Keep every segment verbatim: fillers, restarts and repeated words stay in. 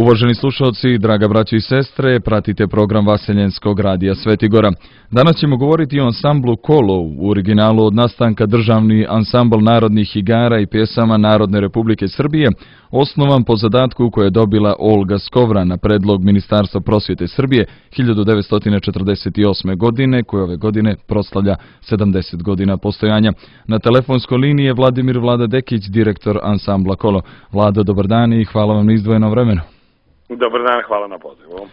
Uvaženi slušalci, draga braćo i sestre, pratite program Vaseljenskog radija Svetigora. Danas ćemo govoriti o ansamblu Kolo, u originalu od nastanka državni ansambl narodnih igara i pjesama Narodne Republike Srbije, osnovan po zadatku koje je dobila Olga Skovra na predlog Ministarstva prosvjete Srbije hiljadu devetsto četrdeset osme. godine, koje ove godine proslavlja sedamdeset godina postojanja. Na telefonskoj liniji je Vladimir Vlada Dekić, direktor ansambla Kolo. Vlado, dobar dan i hvala vam na izdvojenom vremenu. Dobar dan, hvala na pozivu.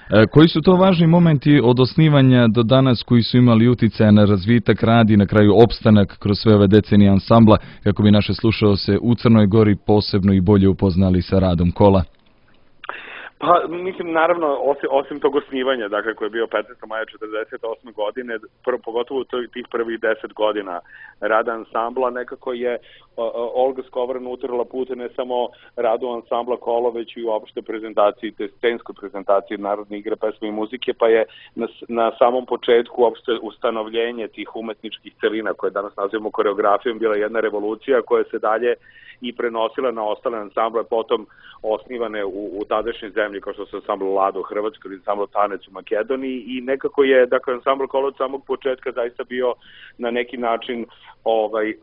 E, koji su to važni momenti od osnivanja do danas koji su imali uticaja na razvitak, rad i na kraju opstanak kroz sve ove decenije ansambla, kako bi naše slušaoce u Crnoj Gori posebno i bolje upoznali sa radom Kola? Pa, mislim, naravno, osim, osim tog osnivanja, dakle, koje je bio petnaestog maja četrdeset osme. godine, prvo, pogotovo tih prvih deset godina rada ansambla, nekako je o, o, Olga Skovra utrla put ne samo radu ansambla Kolo, već i uopšte prezentaciji, te scenskoj prezentaciji Narodne igre, pesme i muzike, pa je na, na samom početku uopšte ustanovljenje tih umetničkih celina, koje danas nazivamo koreografijom, bila jedna revolucija koja se dalje i prenosila na ostale ansamble, potom osnivane u, u tadašnjoj zemlji, kao što su ansambl Lado u Hrvatskoj ili ansambl Tanec u Makedoniji, i nekako je, dakle, ansambl Kolo od samog početka zaista bio na neki način ovaj,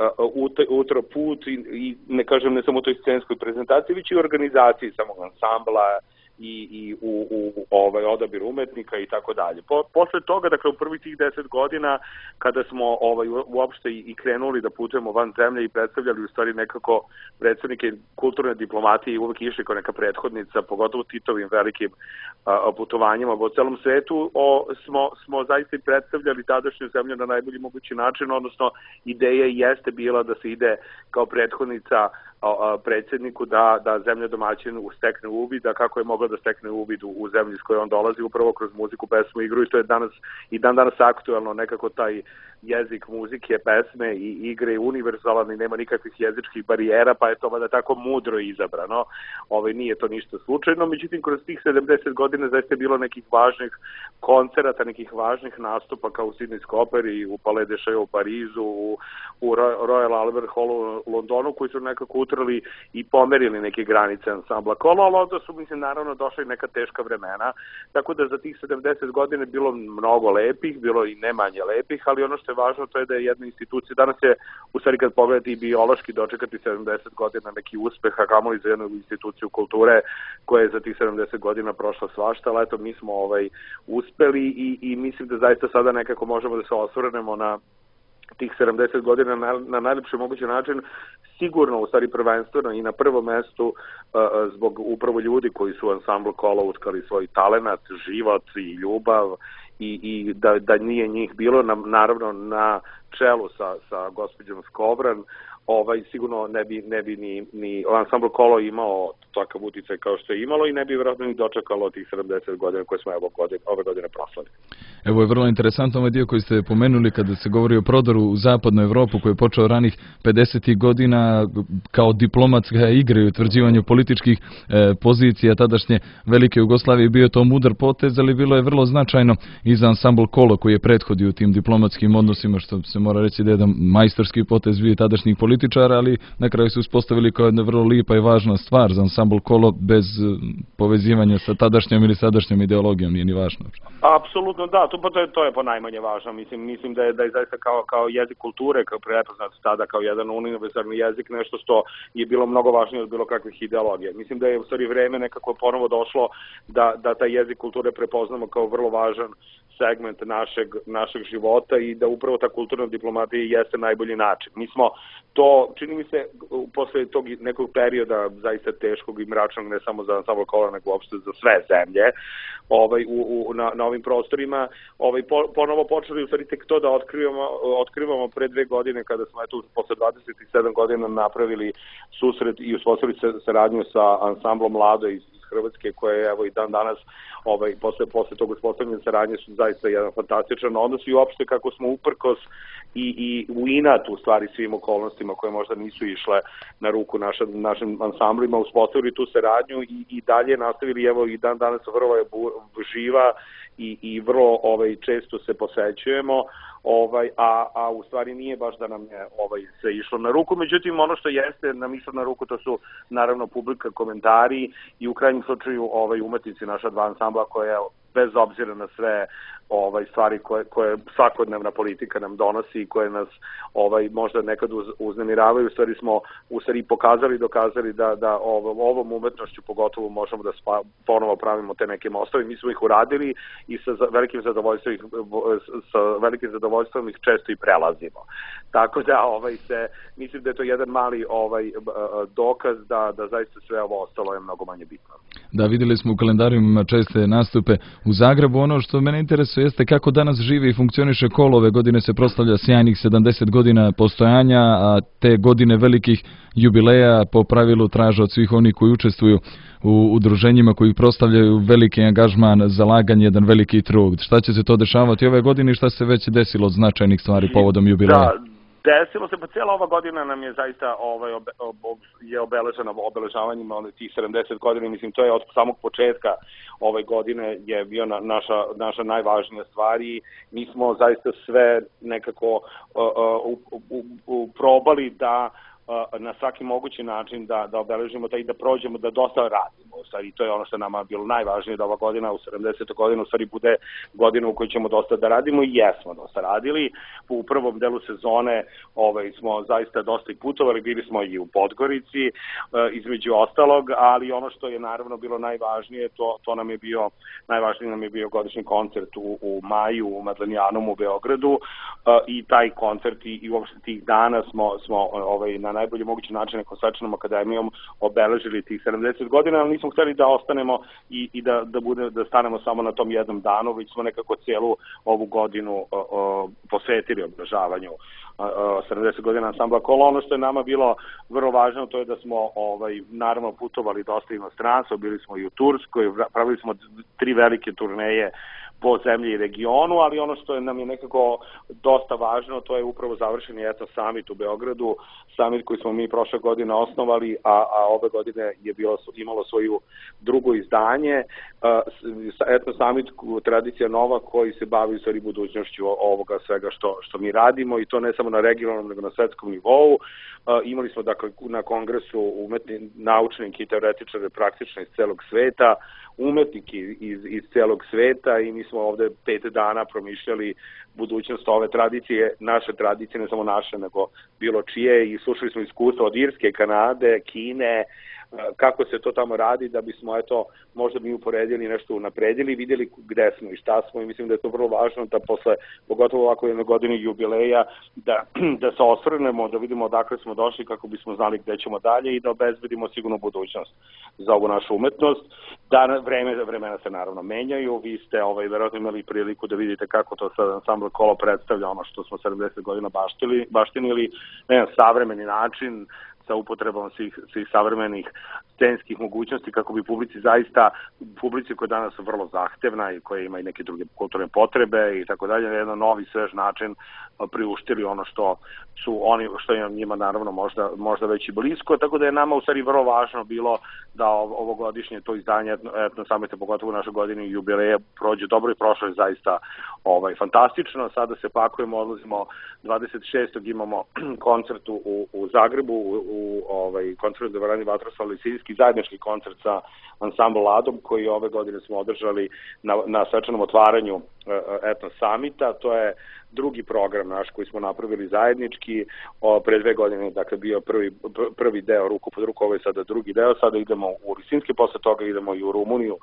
utro put i, i ne kažem ne samo u toj scenskoj prezentaciji, već i u organizaciji samog ansambla i, i u, u ovaj odabir umetnika i tako dalje. Po, posle toga, dakle, u prvih tih deset godina, kada smo ovaj uopšte i, i krenuli da putujemo van zemlje i predstavljali u stvari nekako predstavnike kulturne diplomatije i uvek išli kao neka prethodnica, pogotovo Titovim velikim a, putovanjima po celom svetu, o, smo, smo zaista i predstavljali tadašnju zemlju na najbolji mogući način, odnosno ideja jeste bila da se ide kao prethodnica predsjedniku da, da zemlja domaćin stekne uvid, da kako je mogla da stekne uvid u, u zemlji s kojoj on dolazi, upravo kroz muziku, pesmu, igru, i to je danas i dan danas aktuelno, nekako taj jezik muzike, pesme i igre je univerzalan i nema nikakvih jezičkih barijera, pa je to vada tako mudro izabrano. Ove, nije to ništa slučajno, međutim, kroz tih sedamdeset godina zaista je bilo nekih važnih koncerata, nekih važnih nastupa kao u Sidnejskoj operi, u Palais de Chaillot u Parizu, u, u Royal Albert Hallu u Londonu, koji su nekako utrli i pomerili neke granice ansambla Kolo, ali onda su, mislim, naravno došli neka teška vremena, tako da za tih sedamdeset godina je bilo mnogo lepih, bilo i ne manje lepih, ali ono što je važno to je da je jedna institucija, danas je, u stvari kad pogledate i biološki dočekati sedamdeset godina neki uspeh, a kamoli za jednu instituciju kulture koja je za tih sedamdeset godina prošla svašta, ali eto mi smo ovaj, uspeli i, i mislim da zaista sada nekako možemo da se osvrnemo na tih sedamdeset godina na, na najlepši mogući način, sigurno u stvari prvenstveno i na prvom mestu uh, zbog upravo ljudi koji su u ansamblu Kolo utkali svoj talenat, život i ljubav i, i da, da nije njih bilo, na, naravno na čelu sa, sa gospođom Skovran, ovaj, sigurno ne bi, ne bi ni, ni ansambl Kolo imao takav uticaj kao što je imalo i ne bi vjerojatno ni dočekalo tih sedamdeset godina koje smo evo godine, ove godine proslali. Evo je vrlo interesantno ovaj dio koji ste pomenuli kada se govori o prodoru u zapadnu Evropu koji je počeo ranih pedesetih godina kao diplomatska igra i utvrđivanju političkih e, pozicija tadašnje Velike Jugoslavije. Bio to mudar potez, ali bilo je vrlo značajno i za ansambl Kolo koji je prethodio u tim diplomatskim odnosima, što se mora reći da je jedan majstorski potez bio tadašnjih političara, ali na kraju su uspostavili kao jedna vrlo lipa i važna stvar za ansambl Kolo bez povezivanja sa tadašnjom ili sadašnjom ideologijom, nije ni važno. Apsolutno da, to, to, je, to je po najmanje važno. Mislim, mislim da je, da je zaista kao, kao jezik kulture, kao prepoznat tada kao jedan univerzalni jezik, nešto što je bilo mnogo važnije od bilo kakvih ideologija. Mislim da je u stvari vreme nekako ponovo došlo da, da taj jezik kulture prepoznamo kao vrlo važan segment našeg, našeg života i da upravo ta kulturna diplomatija jeste najbolji način. Mi smo to, čini mi se, posle tog nekog perioda zaista teškog i mračnog, ne samo za ansambl Kolo, nego uopšte za sve zemlje, ovaj, u, u, na, na ovim prostorima, ovaj, po, ponovo počeli u stvari tek to da otkrivamo, otkrivamo pre dve godine, kada smo eto, posle dvadeset sedam godina napravili susret i uspostavili saradnju sa ansamblom Lado iz Hrvatske, koje je evo i dan danas ovaj, posle, posle tog uspostavljanja saradnje su zaista jedan fantastičan odnos i uopšte kako smo uprkos i, i u inat u stvari svim okolnostima koje možda nisu išle na ruku naša, našim ansamblima uspostavili tu saradnju i, i dalje nastavili, evo i dan danas vrlo je živa i, i vrlo ovaj, često se posećujemo. ovaj, a, a u stvari nije baš da nam je ovaj, se išlo na ruku. Međutim, ono što jeste nam išlo na ruku, to su naravno publika, komentari i u krajnjem slučaju ovaj, umetnici naša dva ansambla koja bez obzira na sve ovaj stvari koje koje svakodnevna politika nam donosi i koje nas ovaj možda nekad uz, uznemiravaju, u stvari smo u stvari pokazali, dokazali da da ovom, ovom umetnošću pogotovo možemo da spa, ponovo pravimo te neke mostove. Mi smo ih uradili i sa velikim zadovoljstvom ih, sa velikim zadovoljstvom ih često i prelazimo. Tako da ovaj se mislim da je to jedan mali ovaj dokaz da da zaista sve ovo ostalo je mnogo manje bitno. Da, vidjeli smo u kalendarijima česte nastupe u Zagrebu. Ono što mene interesuje jeste kako danas živi i funkcioniše Kolo. Ove godine se proslavlja sjajnih sedamdeset godina postojanja, a te godine velikih jubileja po pravilu traže od svih onih koji učestvuju u udruženjima koji proslavljaju veliki angažman, zalaganje, jedan veliki trud. Šta će se to dešavati ove godine i šta se već desilo od značajnih stvari povodom jubileja? Da. Desilo se, pa cijela ova godina nam je zaista ovaj, obe, ob, je obeležena obeležavanjima one, tih sedamdeset godina, mislim to je od samog početka ove godine je bio na, naša, naša najvažnija stvar i mi smo zaista sve nekako uh, uh, uh, uh, probali da na svaki mogući način da, da obeležimo taj i da prođemo, da dosta radimo. U stvari, to je ono što nama bilo najvažnije da ova godina u sedamdesetoj godini u stvari bude godina u kojoj ćemo dosta da radimo i jesmo dosta radili. U prvom delu sezone ovaj, smo zaista dosta i putovali, bili smo i u Podgorici, između ostalog, ali ono što je naravno bilo najvažnije, to, to nam je bio, najvažniji nam je bio godišnji koncert u, u maju u Madlenijanum u Beogradu i taj koncert i, i uopšte tih dana smo, smo ovaj, na najbolji mogući način nekom svečanom akademijom obeležili tih sedamdeset godina, ali nismo hteli da ostanemo i, i da, da, bude, da stanemo samo na tom jednom danu, već smo nekako cijelu ovu godinu o, o, posvetili obeležavanju sedamdeset godina ansambla Kolo. Ono što je nama bilo vrlo važno, to je da smo ovaj, naravno putovali dosta inostranstvo, bili smo i u Turskoj, pravili smo tri velike turneje po zemlji i regionu, ali ono što je nam je nekako dosta važno, to je upravo završeni Etno Summit u Beogradu, summit koji smo mi prošle godine osnovali, a, a ove godine je bilo, imalo svoju drugo izdanje. Etno Summit, tradicija nova koji se bavi u stvari budućnošću ovoga svega što, što mi radimo i to ne samo na regionalnom nego na svetskom nivou. Imali smo dakle na kongresu umetni, naučnike i teoretičare praktično iz celog sveta, umetniki iz, iz celog sveta i mi smo ovde pet dana promišljali budućnost ove tradicije, naše tradicije, ne samo naše, nego bilo čije i slušali smo iskustva od Irske, Kanade, Kine, kako se to tamo radi, da bismo eto možda mi uporedili nešto unapredili, vidjeli gde smo i šta smo i mislim da je to vrlo važno da posle, pogotovo ovako jedne godine jubileja, da, da se osvrnemo, da vidimo odakle smo došli kako bismo znali gde ćemo dalje i da obezbedimo sigurno budućnost za ovu našu umetnost. Da vreme, vremena se naravno menjaju, vi ste ovaj, verovatno imali priliku da vidite kako to sad ansambl Kolo predstavlja ono što smo sedamdeset godina baštili, baštinili na jedan savremeni način, sa upotrebom svih, svih savremenih scenskih mogućnosti kako bi publici zaista, publici koja danas su vrlo zahtevna i koja ima i neke druge kulturne potrebe i tako dalje, na jedan novi svež način priuštili ono što su oni, što je njima naravno možda, možda već i blisko, tako da je nama u stvari vrlo važno bilo da ovogodišnje to izdanje Etno Summita, pogotovo u našoj godini jubileja, prođe dobro i prošlo je zaista ovaj, fantastično. Sada se pakujemo, odlazimo dvadeset šestog imamo koncert u, u Zagrebu, u, u ovaj, koncert Dvorani Vatroslav Lisinski, zajednički koncert sa ansambl Ladom, koji ove godine smo održali na, na svečanom otvaranju uh, Etno Summita. To je drugi program naš koji smo napravili zajednički, o, pre dve godine, dakle bio prvi, prvi deo ruku pod ruku, ovo je sada drugi deo, sada idemo u Lisinski, posle toga idemo i u Rumuniju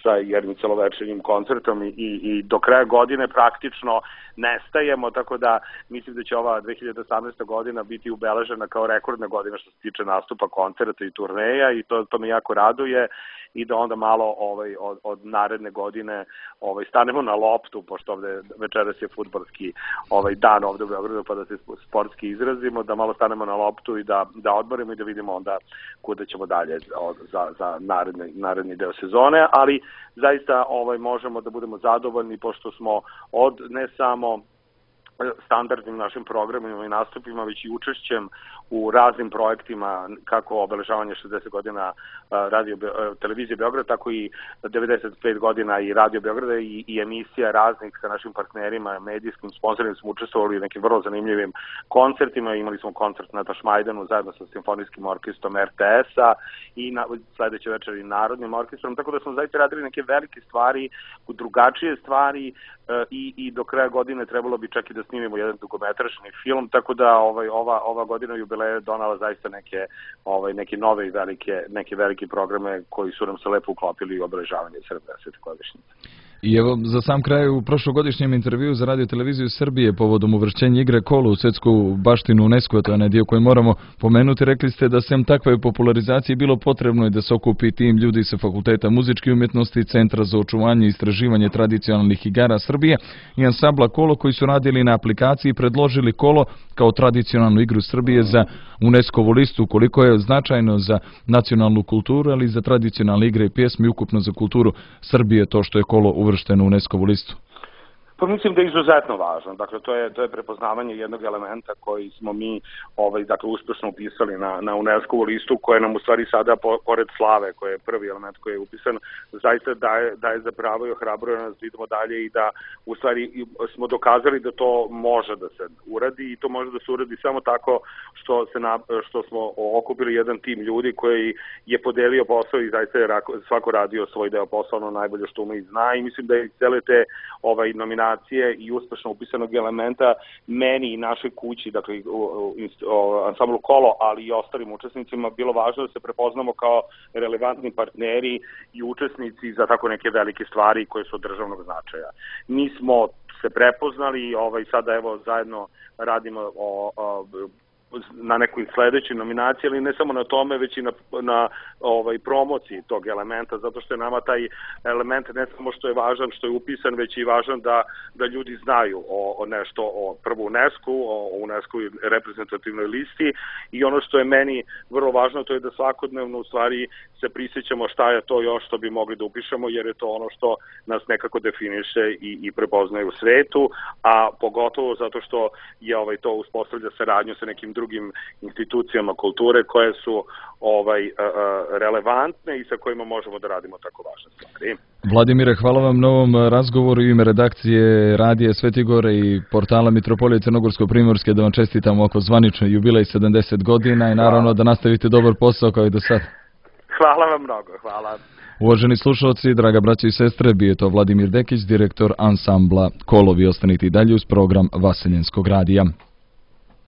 sa jednim celovečernjim koncertom i, i do kraja godine praktično nestajemo, tako da mislim da će ova dve hiljade osamnaesta godina biti ubeležena kao rekordna godina što se tiče nastupa koncerta i turneja i to, to me jako raduje i da onda malo ovaj, od, od naredne godine ovaj, stanemo na loptu, pošto ovde večeras je fudbalski ovaj, dan ovde u Beogradu, pa da se sportski izrazimo, da malo stanemo na loptu i da, da odmorimo i da vidimo onda kuda ćemo dalje za, za naredni, naredni deo sezone, ali zaista ovaj, možemo da budemo zadovoljni pošto smo od ne samo standardnim našim programima i nastupima, već i učešćem u raznim projektima, kako obeležavanje šezdeset godina radio, televizije Beograd, tako i devedeset pet godina i Radio Beograda i, i emisija raznih sa našim partnerima, medijskim sponsorima smo učestvovali u nekim vrlo zanimljivim koncertima. Imali smo koncert na Tašmajdanu zajedno sa Simfonijskim orkestrom er te es-a i na, sledeće večer i Narodnim orkestrom, tako da smo zaista radili neke velike stvari, drugačije stvari i, i do kraja godine trebalo bi čak i da snimimo jedan dugometražni film, tako da ovaj, ova, ova godina jubileja je donala zaista neke, ovaj, neke nove i velike, neke velike programe koji su nam se lepo uklopili u obeležavanje sedamdesete godišnjice. I evo, za sam kraj, u prošlogodišnjem intervju za Radio Televiziju Srbije povodom uvršćenja igre kolo u svetsku baštinu UNESCO, to je onaj dio koji moramo pomenuti, rekli ste da sem takve popularizacije bilo potrebno je da se okupi tim ljudi sa Fakulteta muzičke umjetnosti, Centra za očuvanje i istraživanje tradicionalnih igara Srbije i ansambla Kolo koji su radili na aplikaciji i predložili kolo kao tradicionalnu igru Srbije za UNESCO-vu listu, koliko je značajno za nacionalnu kulturu, ali i za tradicionalne igre i pjesmi, ukupno za kulturu Srbije, to što je kolo uvršteno u UNESCO-vu listu. Pa mislim da je izuzetno važno. Dakle, to je, to je prepoznavanje jednog elementa koji smo mi ovaj, dakle, uspešno upisali na, na UNESCO-vu listu, koja nam u stvari sada, po, pored slave, koji je prvi element koji je upisan, zaista daje, daje za pravo i ohrabruje nas da idemo dalje i da u stvari smo dokazali da to može da se uradi i to može da se uradi samo tako što, se na, što smo okupili jedan tim ljudi koji je podelio posao i zaista je svako radio svoj deo posla, ono najbolje što ume i zna i mislim da je cele te ovaj, nominacije i uspešno upisanog elementa meni i našoj kući, dakle ansamblu Kolo, ali i ostalim učesnicima bilo važno da se prepoznamo kao relevantni partneri i učesnici za tako neke velike stvari koje su od državnog značaja. Mi smo se prepoznali, ovaj, sada evo zajedno radimo o, o na nekoj sledećoj nominaciji, ali ne samo na tome, već i na, na ovaj, promociji tog elementa, zato što je nama taj element ne samo što je važan, što je upisan, već i važan da, da ljudi znaju o, o nešto, o prvo UNESCO, o, o UNESCO reprezentativnoj listi i ono što je meni vrlo važno, to je da svakodnevno u stvari se prisjećamo šta je to još što bi mogli da upišemo, jer je to ono što nas nekako definiše i, i prepoznaje u svetu, a pogotovo zato što je ovaj, to uspostavlja saradnju sa nekim drugim institucijama kulture koje su ovaj uh, relevantne i sa kojima možemo da radimo tako važne stvari. Vladimire, hvala vam na ovom razgovoru u ime redakcije Radija Svetigore i portala Mitropolije Crnogorsko-Primorske, da vam čestitamo oko zvanično jubilej sedamdeset godina i naravno hvala. Da nastavite dobar posao kao i do sad. Hvala vam mnogo, hvala. Uvaženi slušalci, draga braća i sestre, bio je to Vladimir Dekić, direktor ansambla Kolo. Vi ostanite i dalje uz program Vaseljenskog radija.